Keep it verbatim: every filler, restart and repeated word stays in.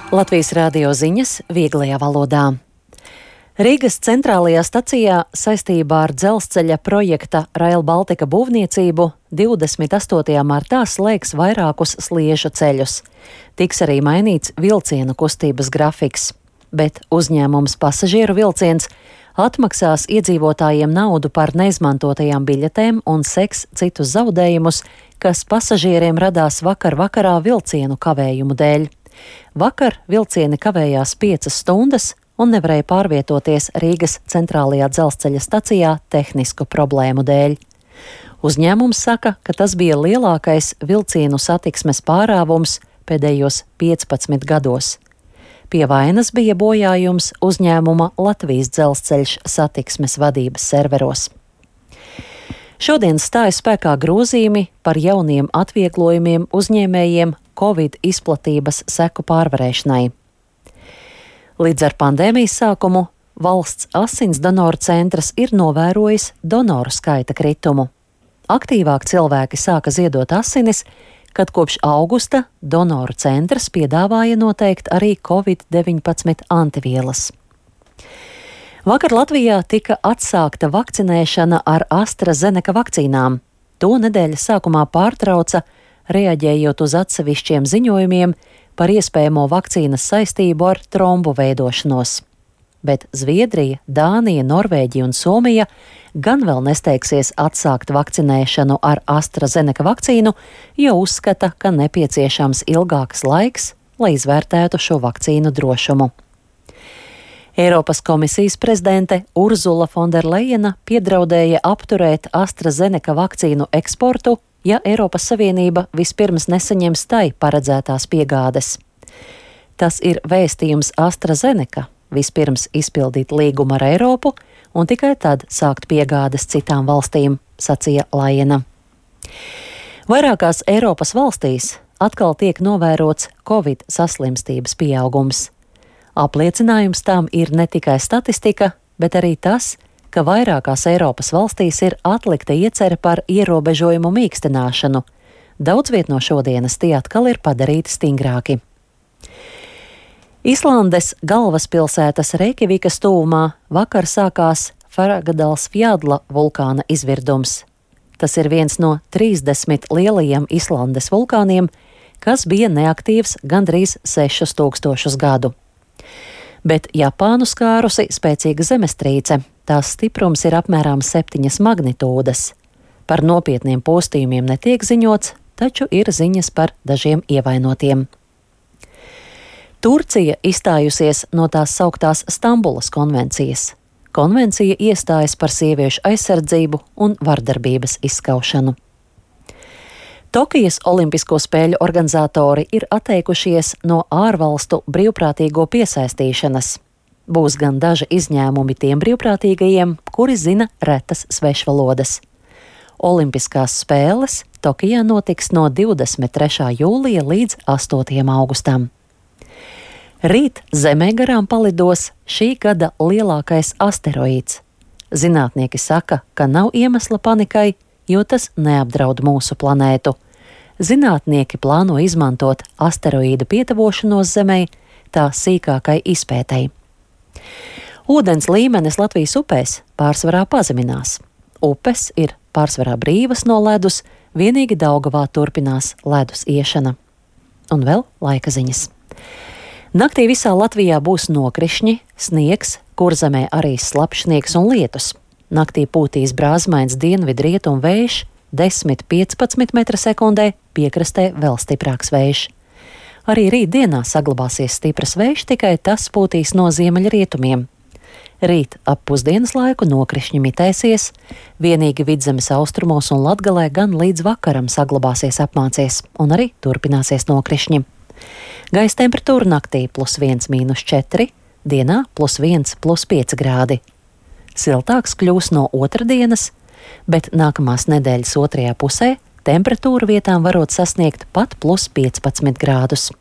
Latvijas radio ziņas vieglajā valodā. Rīgas centrālajā stacijā saistībā ar dzelzceļa projekta Rail Baltica būvniecību divdesmit astotajā martā slēgs vairākus sliežu ceļus. Tiks arī mainīts vilcienu kustības grafiks, bet uzņēmums Pasažieru vilciens atmaksās iedzīvotājiem naudu par neizmantotajām biļetēm un seks citus zaudējumus, kas pasažieriem radās vakar vakarā vilcienu kavējumu dēļ. Vakar vilcieni kavējās piecas stundas un nevarēja pārvietoties Rīgas centrālajā dzelzceļa stacijā tehnisku problēmu dēļ. Uzņēmums saka, ka tas bija lielākais vilcienu satiksmes pārāvums pēdējos piecpadsmit gados. Pie vainas bija bojājums uzņēmuma Latvijas dzelzceļš satiksmes vadības serveros. Šodien stājas spēkā grozījumi par jauniem atvieglojumiem uzņēmējiem Covid izplatības seku pārvarēšanai. Līdz ar pandēmijas sākumu valsts asins donoru centrs ir novērojis donoru skaita kritumu. Aktīvāk cilvēki sāka ziedot asinis, kad kopš augusta donoru centrs piedāvāja noteikt arī Covid deviņpadsmit antivielas. Vakar Latvijā tika atsākta vakcinēšana ar AstraZeneca vakcīnām. To nedēļas sākumā pārtrauca, reaģējot uz atsevišķiem ziņojumiem par iespējamo vakcīnas saistību ar trombu veidošanos. Bet Zviedrija, Dānija, Norvēģija un Somija gan vēl nesteigsies atsākt vakcinēšanu ar AstraZeneca vakcīnu, jo uzskata, ka nepieciešams ilgāks laiks, lai izvērtētu šo vakcīnu drošumu. Eiropas komisijas prezidente Urzula Fonderlejena piedraudēja apturēt AstraZeneca vakcīnu eksportu, ja Eiropas Savienība vispirms nesaņems tai paredzētās piegādes. Tas ir vēstījums AstraZeneca vispirms izpildīt līgumu ar Eiropu un tikai tad sākt piegādes citām valstīm, sacīja Lajena. Vairākās Eiropas valstīs atkal tiek novērots Covid saslimstības pieaugums. Apliecinājums tam ir ne tikai statistika, bet arī tas, ka vairākās Eiropas valstīs ir atlikta iecere par ierobežojumu mīkstināšanu. Daudz viet no šodienas tie atkal ir padarīti stingrāki. Islandes galvaspilsētas Reikjavikas tuvumā vakar sākās Fagradalsfjalla vulkāna izvirdums. Tas ir viens no trīsdesmit lielajiem Islandes vulkāniem, kas bija neaktīvs gandrīz sešus tūkstošus gadu. Bet Japānu skārusi spēcīga zemestrīce. Tās stiprums ir apmēram septiņas magnitūdas. Par nopietniem postījumiem netiek ziņots, taču ir ziņas par dažiem ievainotiem. Turcija izstājusies no tās sauktās Stambulas konvencijas. Konvencija iestājas par sieviešu aizsardzību un vardarbības izskaušanu. Tokijas Olimpisko spēļu organizatori ir atteikušies no ārvalstu brīvprātīgo piesaistīšanas. Būs gan daži izņēmumi tiem brīvprātīgajiem, kuri zina retas svešvalodas. Olimpiskās spēles Tokijā notiks no divdesmit trešā jūlija līdz astotajam augustam. Rīt Zemē garām palidos šī gada lielākais asteroīds. Zinātnieki saka, ka nav iemesla panikai, jo tas neapdraud mūsu planētu. Zinātnieki plāno izmantot asteroīda pietavošanos Zemei tā sīkākai izpētei. Ūdens līmenis Latvijas upēs pārsvarā pazeminās. Upes ir pārsvarā brīvas no ledus, vienīgi Daugavā turpinās ledus iešana. Un vēl laika ziņas. Naktī visā Latvijā būs nokrišņi, sniegs, Kurzemē arī slapjš sniegs un lietus. Naktī pūtīs brāzmains dienvidrietumu vējš, desmit līdz piecpadsmit metri sekundē, piekrastē vēl stiprāks vējš. Arī rīt dienā saglabāsies stipras vējš, tikai tas pūtīs no ziemeļrietumiem. Rīt ap pusdienas laiku nokrišņi mitēsies, vienīgi Vidzemes austrumos un Latgalē gan līdz vakaram saglabāsies apmācies un arī turpināsies nokrišņi. Gaisa temperatūra naktī plus viens mīnus četri, dienā plus viens plus pieci grādi. Siltāks kļūs no otrdienas, bet nākamās nedēļas otrajā pusē temperatūra vietām varot sasniegt pat plus piecpadsmit grādus.